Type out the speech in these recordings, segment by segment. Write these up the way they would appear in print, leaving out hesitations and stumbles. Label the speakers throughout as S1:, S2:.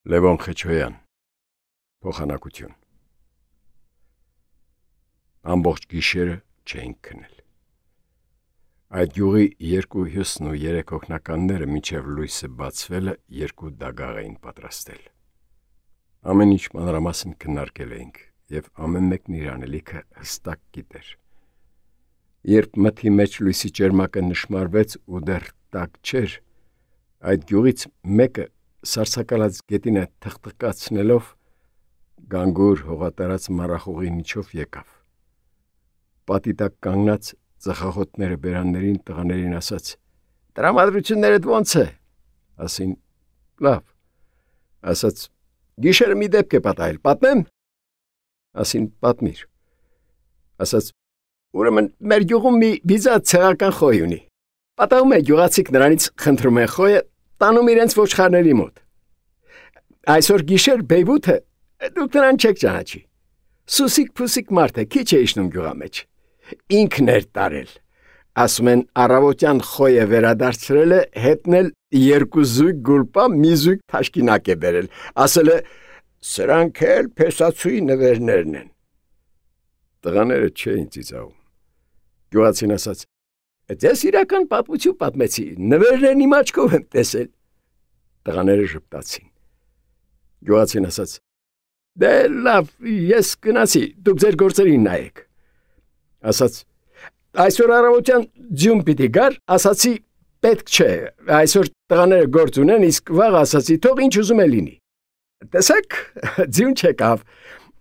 S1: Լևոն Խեչոյան, փոխանակություն։ Ամբողջ գիշերը չէինք քնել։ Այդ յուղի երկու հյուսն ու երեք օգնականները մինչև լույսը բացվելը երկու դագաղ էին պատրաստել։ Ամեն ինչ մանրամասն քննարկել էինք, եւ ամեն մեկն իր անելիքը հստակ գիտեր։ Երբ մթի մեջ լույսի ճերմակը նշմարվեց ու դեռ տաք չէր, այդ յուղից մեկը սարսակալած գետինը թխթկացնելով գանգուր հողատարած մառախուղի միջով եկավ։ Պատի տակ կանգնած ծխախոտները բերաններին տղաներին ասաց. «Տրամադրություններդ ո՞նց է»։ Ասին. «Լավ»։ Ասաց. «Գիշերը մի դեպք է պատահել, պատմեմ»։ Ասին. «Պատմիր»։ Ասաց. «Ուրեմն մեր գյուղում մի բիզա ցեղական խոյ ունի։ Պատահում է գյուղացիք նրանից խնդրում են խոյը տանում իրենց ոչխարների մոտ։ Այսօր գիշեր Բեյբութը դուք նրան չեք ճանաչի։ Սուսիկ-փուսիկ մարդ է, քիչ է իջնում գյուղա մեջ։ Ինքն էր տարել։ Ասում են առավոտյան խոյը վերադարձրել է, հետնել երկու զույգ գուլպա, մի զույգ թաշկինակ է բերել։ Ասել է. «Սրանք էլ փեսացուի նվերներն են»։ Տղաները չէին ծիծաղում։ Գյուղացին ասաց. «Ձեզ իրական պատմություն պատմեցի, նվերներն իմ աչքով եմ տեսել»։ Տղաները ժպտացին։ Գյուղացին ասաց. «Դե լավ, ես գնացի, դուք ձեր գործերին նայեք»։ Ասաց. «Այսօր առավոտյան ձյուն պիտի գար, ասացի պետք չէ, այսօր տղաները գործ ունեն, իսկ վաղ ասացի թող ինչ ուզում է լինի։ Տեսեք, ձյուն չեկավ,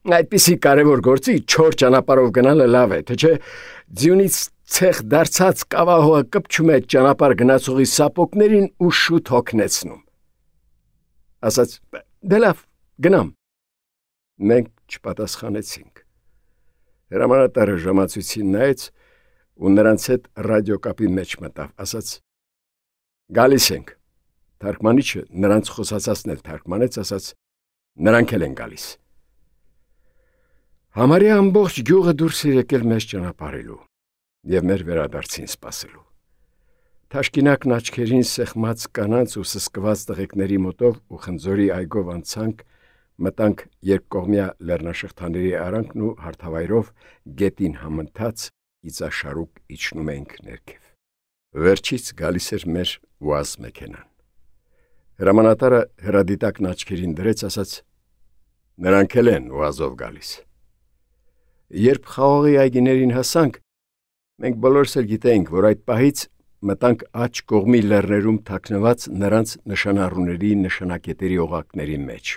S1: այդպիսի կարևոր գործի չոր ճանապարհով գնալը լավ է, թե չէ ձյունից ցեխ դարձած կավահողը կպչում է ճանապարհ գնացողի սապոգներին ու շուտ հոգնեցնում»։ Ասաց. «Դե լավ, գնամ»։ Մենք չպատասխանեցինք։ Հրամանատարը ժամացույցին նայեց ու նրանց հետ ռադիոկապի մեջ մտավ, ասաց. «Գալիս ենք»։ Թարգմանիչը նրանց խոսացածն էլ թարգմանեց, ասաց. «Նրանք էլ են գալիս»։ Համարյա ամբողջ գյուղը դուրս էր եկել մեզ ճանապարհելու եւ մեր վերադարձին սպասելու։ Թաշկինակն աչքերին սեղմած կանանց ու սսկված տղեկների մոտով ու խնձորի այգով անցանք, մտանք երկկողմյա լեռնաշղթաների արանքն ու հարթավայրով գետին համընթաց իծաշարուկ իջնում էինք ներքև։ Վերջից գալիս էր մեր ուազ մեքենան։ Հրամանատարը հրադիտակն աչքերին դրեց, ասաց. «Նրանք էլ են ուազով գալիս»։ Երբ խաղողի այգիներին հասանք, մենք բոլորս էլ գիտեինք, որ այդ պահից մտանք աջ կողմի լեռներում թաքնված նրանց նշանառուների նշանակետերի օղակների մեջ,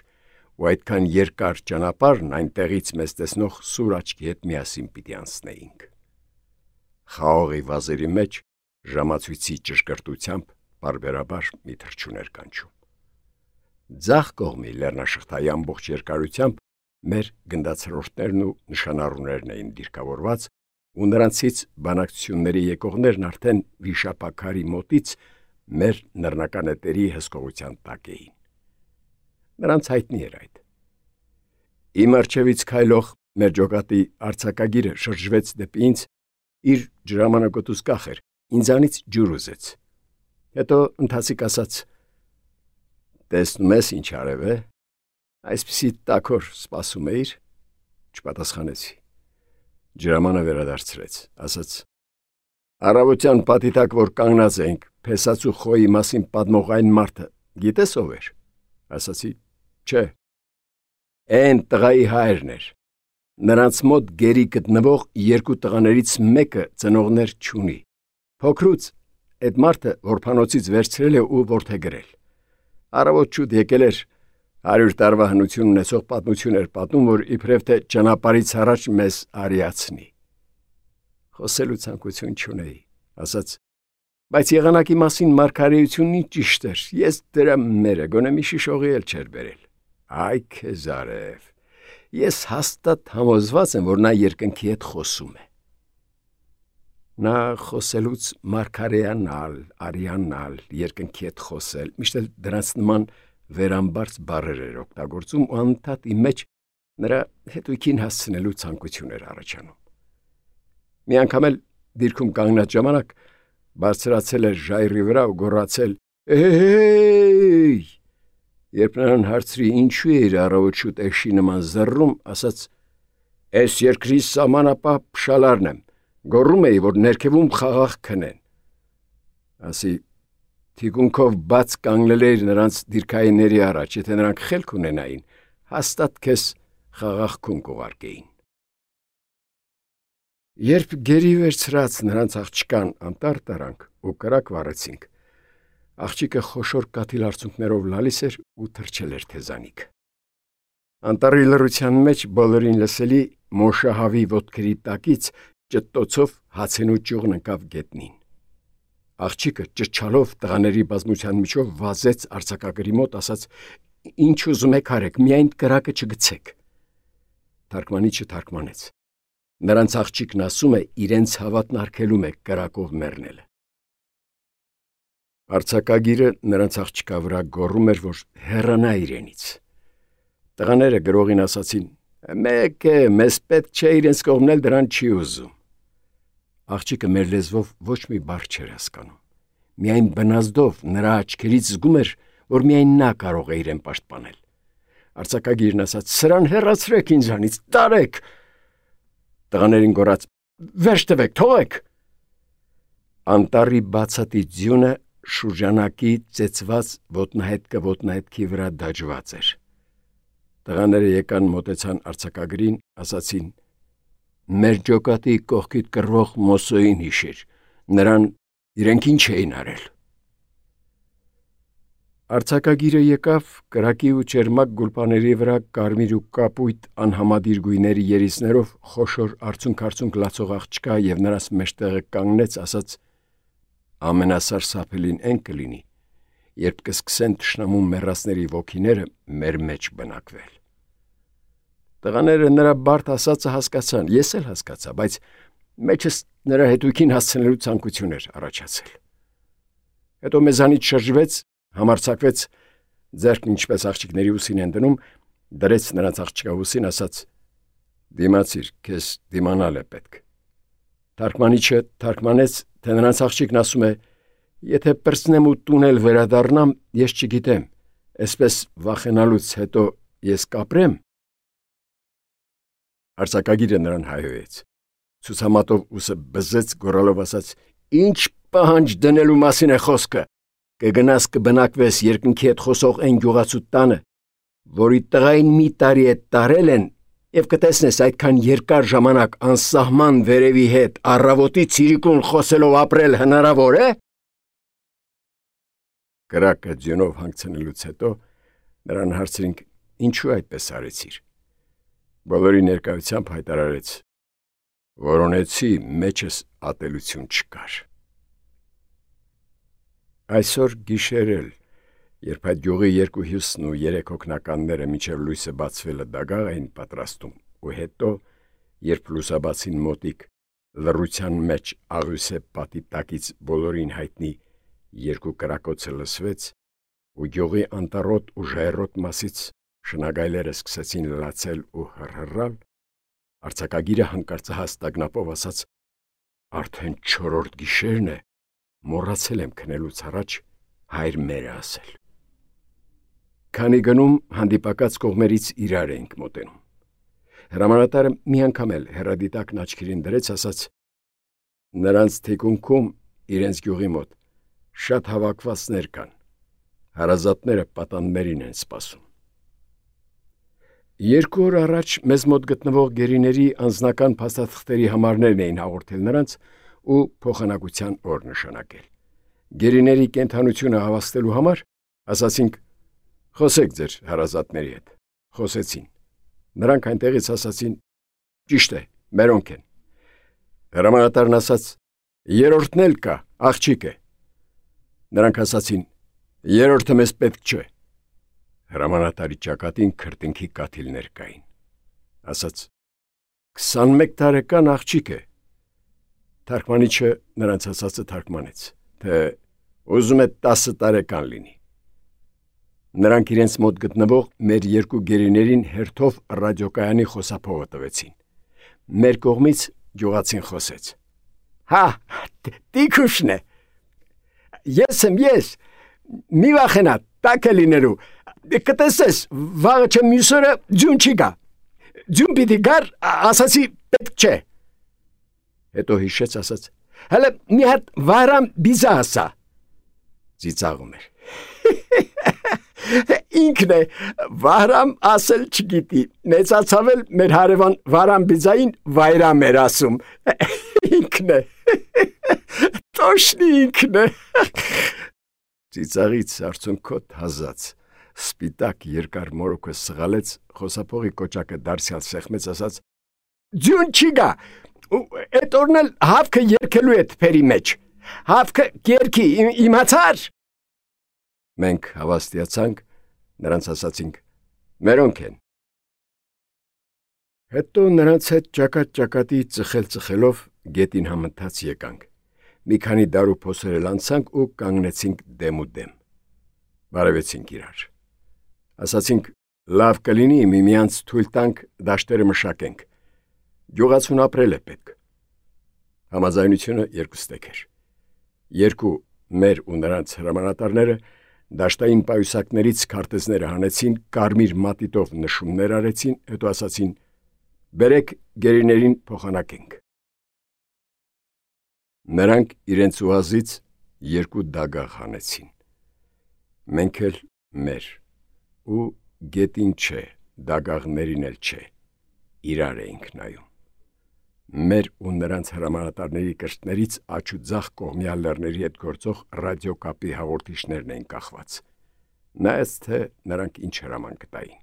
S1: ու այդքան երկար ճանապարհն այնտեղից մեզ տեսնող սուր աչքի հետ միասին պիտի անցնեինք։ Խաղողի վազերի մեջ ժամացույցի ճշգրտությամբ բարբերաբար մի թռչուն էր կանչում։ Ձախ կողմի լեռնաշղթայի ամբողջ երկարությամբ մեր գնդացրորդներն ու նշանառուներն էին դիրքավորված, ու նրանցից բանակցությունների եկողներն արդեն վիշապաքարի մոտից մեր նռնականետերի հսկողության տակ էին։ Նրանց հայտնի էր այդ։ Իմ առջևից քայլող մեր ջոկատի արձակագիրը շրջվեց դեպի ինձ, իր ջրամանակոտուց կախեր, ինձանից ջուր ուզեց։ Հետո ընթացիկ ասաց. «Տեսնում ես ինչ արև է, այսպիսի տաքոր սպասում էիր»։ Չպատասխանեցի։ Ջրամանը վերադարձրեց, ասաց. «Առավոտյան պատի տակ, որ կանգնած էինք, փեսացու խոյի մասին պատմող այն մարդը, գիտես ով էր»։ Ասացի. «Չէ»։ Էն տղայի հայրն էր։ Նրանց մոտ գերի գտնվող երկու տղաներից մեկը ծնողներ չունի։ Փոքրուց այդ մարդը որբանոցից վերցրել է ու որդեգրել։ Առավոտ շուտ եկել էր 100 տարվա հնություն ունեցող պատմություն էր պատմում, որ իբրև թե ճանապարհից առաջ մեզ արիացնի։ Խոսելու ցանկություն չունեի, ասաց. «Բայց եղանակի մասին մարգարեությունն ինչ ճիշտ էր, ես դրա մերը գոնե մի շիշողի էլ չէր բերել»։ Այ քեզ արև, ես հաստատ համոզված եմ, որ նա երկնքի հետ խոսում է։ Նա խոսելուց մարգարեանալ, արիանալ, երկնքի հետ խոսել, միշտ էլ դրանց նման վերամբարձ բառեր էր օգտագործում ու անընդհատ իմ մեջ նրա հետույքին հասցնելու ցանկություն էր առաջանում։ Մի անգամ էլ դիրքում կանգնած ժամանակ բարձրացել էր ժայռի վրա ու գոռացել. «Էհեյ»։ Երբ նրան հարցրի ինչու է իր առավոտ շուտ էշի նման զռռում, ասաց. «Էս երկրի սահմանապահ փշալարն եմ, գոռում էի, որ ներքևում խաղաղ քնեն»։ Ասի թիկունքով բաց կանգնել էր նրանց դիրքայինների առաջ, եթե նրանք խելք ունենային, հաստատ քեզ խաղաղ քուն կուղարկեին։ Երբ գերի վերցրած նրանց աղջկան անտառ տարանք ու կրակ վառեցինք, աղջիկը խոշոր կաթիլ արցունքներով լալիս էր ու թրջել էր թեզանիք։ Անտառի լռության մեջ բոլորին լսելի մոշահավի ոտքերի տակից ճտտոցով հացենու ճյուղն ընկավ գետնին։ Աղջիկը ճչալով տղաների բազմության միջով վազեց արձակագրի մոտ, ասաց. «Ինչ ուզում եք արեք, միայն կրակը չգցեք»։ Թարգմանիչը թարգմանեց. «Նրանց աղջիկն ասում է, իրենց հավատն արգելում է կրակով մեռնելը»։ Արձակագիրը նրանց աղջկա վրա գոռում էր, որ հեռանա իրենից։ Տղաները գրողին ասացին. «Մեկ է, մեզ պետք չէ իրենց կողմնել, դրան չի ուզում»։ Աղջիկը մեր լեզվով ոչ մի բառ չէր հասկանում։ Միայն բնազդով նրա աչքերից զգում էր, որ միայն նա կարող է իրեն պաշտպանել։ Արձակագիրն ասաց. «Սրան հեռացրեք ինձանից, տարեք»։ Տղաներին գոռաց. «Վերջ տվեք, թողեք»։ Անտառի բացատի ձյունը շուրջանակի ծեծված ոտնահետքի վրա դաջված էր։ Տղաները եկան մոտեցան արձակագրին, ասացին. «Մեր ջոկատի կողքիդ կռվող Մոսոին հիշիր, նրան իրենք ինչ էին արել»։ Արձակագիրը եկավ կրակի ու ճերմակ գուլպաների վրա կարմիր ու կապույտ անհամադիր գույների երիցներով խոշոր արցունք լացող աղջկա և նրանց մեջտեղը կանգնեց, ասաց. «Ամենասարսափելին այն կլինի, երբ կսկսեն թշնամու մեռածների ոգիները մեր մեջ բնակվել»։ Տղաները նրա բարդ ասածը հասկացան, ես էլ հասկացա, բայց մեջս նրա հետույքին հասցնելու ցանկություն էր առաջացել։ Հետո մեզանից շրջվեց, համարձակվեց, ձեռքն ինչպես աղջիկների ուսին են դնում, դրեց նրանց աղջկա ուսին, ասաց. «Դիմացիր, քեզ դիմանալ է պետք»։ Թարգմանիչը թարգմանեց, թե նրանց աղջիկն ասում է. «Եթե պրծնեմ ու տուն էլ վերադառնամ, ես չգիտեմ, այսպես վախենալուց հետո ես կապրեմ»։ Արձակագիրը նրան հայհոյեց, ցուցամատով ուսը բզեց, գոռալով ասաց. «Ինչ պահանջ դնելու մասին է խոսքը։ Կգնաս կբնակվես երկնքի հետ խոսող այն գյուղացու տանը, որի տղային մի տարի է տարել են, և կտեսնես այդքան երկար ժամանակ անսահման վերևի հետ առավոտից իրիկուն խոսելով ապրել հնարավոր է»։ Կրակը ձյունով հանգցնելուց հետո նրան հարցրինք. «Ինչու այդպես արեցիր»։ Բոլորի ներկայությամբ հայտարարեց. «Որոնեցի, մեջս ատելություն չկար»։ Այսօր գիշեր էլ, երբ այդ գյուղի երկու հյուսն ու երեք հոգնականները մինչև լույսը բացվելը դագաղ էին պատրաստում, ու հետո, երբ լուսաբացին մոտիկ, լռության մեջ աղյուսե պատի տակից բոլորին հայտնի երկու կրակոցը լսվեց, ու գյուղի անտառոտ ու ժայռոտ մասից շնագայլերը սկսեցին լացել ու հռհռալ, արձակագիրը հանկարծահաս տագնապով ասաց. «Արդեն 4-րդ գիշերն է, մոռացել եմ քնելուց առաջ հայր մերը ասել»։ Քանի գնում հանդիպակաց կողմերից իրար էինք մոտենում։ Հրամանատարը մի անգամ էլ հեռադիտակն աչքերին դրեց, ասաց. «Նրանց թիկունքում իրենց գյուղի մոտ շատ հավաքվածներ կան, հարազատները պատաններին են սպասում»։ 2 օր առաջ մեզ մոտ գտնվող գերիների անձնական փաստաթղթերի համարներն էին հաղորդել նրանց ու փոխանակության օր նշանակել։ Գերիների կենդանությունը հավաստելու համար ասացինք. «Խոսեք ձեր հարազատների հետ»։ Խոսեցին։ Նրանք այնտեղից ասացին. «Ճիշտ է, մերոնք են»։ Հրամանատարն ասաց. «Երրորդն էլ կա, աղջիկ է»։ Նրանք ասացին. «Երրորդը մեզ պետք չէ»։ Հրամանատարի ճակատին քրտինքի կաթիլներ կային։ Ասաց. 21 տարեկան աղջիկ է։ Թարգմանիչը նրանց ասածը թարգմանեց, թե ուզում է 10 տարեկան լինի։ Նրանք իրենց մոտ գտնվող մեր երկու գերիներին հերթով ռադիոկայանի խոսափողը տվեցին։ Մեր կողմից գյուղացին խոսեց. «Հա, տիկուշն է։ Ես եմ, մի վախենա, տաք է լինելու, կտեսես, վաղը չեմ մյուսօրը ձյուն չի գա։ Ձյուն պիտի գար, ասացի պետք չէ։ Հետո հիշեց ասաց. հələ մի հատ վարամ բիզա ասա։ Ծիծաղում էր։ Ինքն է, վարամ ասել չգիտի, մեծացավ էլ մեր հարևան վարամ բիզային վայրամ էր ասում։ Ինքն է, տոշնի ինքն է։ Ծիծաղից արցունքոտ հազած, սպիտակ երկար մորոքը սղալեց, խոսափողի կոճակը դարձյալ սեղմեց ասաց. ձյուն չի գա, էդ օրն էլ հավքը երկելու էդ փերի մեջ, հավքը կերքի, իմացար։ Մենք հավաստիացանք, նրանց ասացինք. մերոնք են։ Հետո նրանց հետ ճակատ-ճակատի ծխելով գետին համընթաց եկանք։ Մի քանի դարու փոսեր անցանք ու կանգնեցինք դեմ ու դեմ։ Բարևեցինք իրար։ Ասացինք. լավ կլինի միմյանց թույլ տանք դաշտերը մշակենք։ Գյուղացուն ապրել է պետք։ Համաձայնությունը երկուստեք էր։ Երկու մեր ու նրանց հրամանատարները դաշտային պայուսակներից քարտեզները հանեցին, կարմիր մատիտով նշումներ արեցին, հետո ասացին. բերեք գերիներին փոխանակենք։ Նրանք իրենց ուազից երկու դագաղ հանեցին։ Մենք էլ մեր ու գետին չէ, դագաղներին էլ չէ, իրար էինք նայում։ Մեր ու նրանց հրամանատարների կրտներից աջ ու ձախ կողմյալ լեռների հետ գործող ռադիոկապի հաղորդիչներն էին կախված։ Նայեց թե նրանք ինչ հրաման կտային։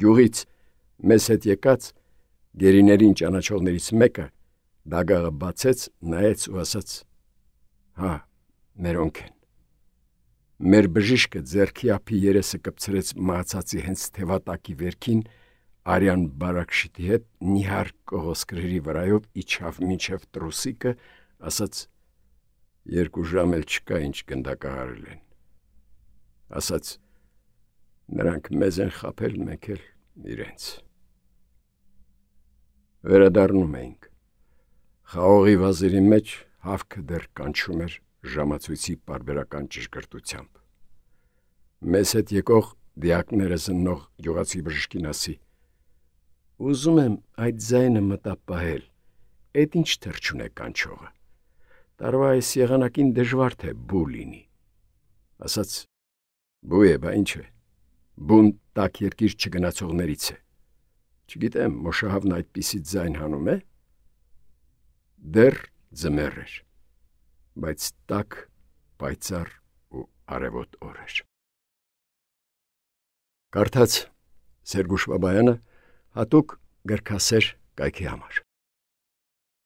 S1: Գյուղից մեզ հետ եկած գերիներին ճանաչողներից մեկը դագաղը բացեց, նայեց ու ասաց. հա, մերոնք են։ Մեր բժիշկը ձեռքի ափի երեսը կպցրեց մահացածի հենց թևատակի վերքին, արյան բարակշիթի հետ նիհար կողոսկրերի վրայով իջավ մինչև տրուսիկը, ասաց. երկու ժամ էլ չկա ինչ գնդակահարել են։ Ասաց. նրանք մեզ են խաբել, մենք էլ իրենց։ Վերադառնում էինք։ Խաղողի վազերի մեջ հավքը դեռ կանչում էր ժամացույցի պարբերական ճշգրտությամբ։ Մեզ հետ եկող դիակները զննող գյուղացի բժշկին ասի. ուզում եմ այդ ձայնը մտապահել, էդ ինչ թրջուն է կանչողը, տարվա այս եղանակին դժվար թե բու լինի։ Ասաց. բու է, բա ինչ է, բուն տաք երկիր չգնացողներից է։ Չգիտեմ, մոշահավն այդպիսի ձայն հանում է։ Դեռ ձմեռ էր, բայց տաք, պայծառ ու արևոտ օր էր։ Կարդաց Սերգուշ Բաբայանը հատուկ գրքասեր կայքի համար։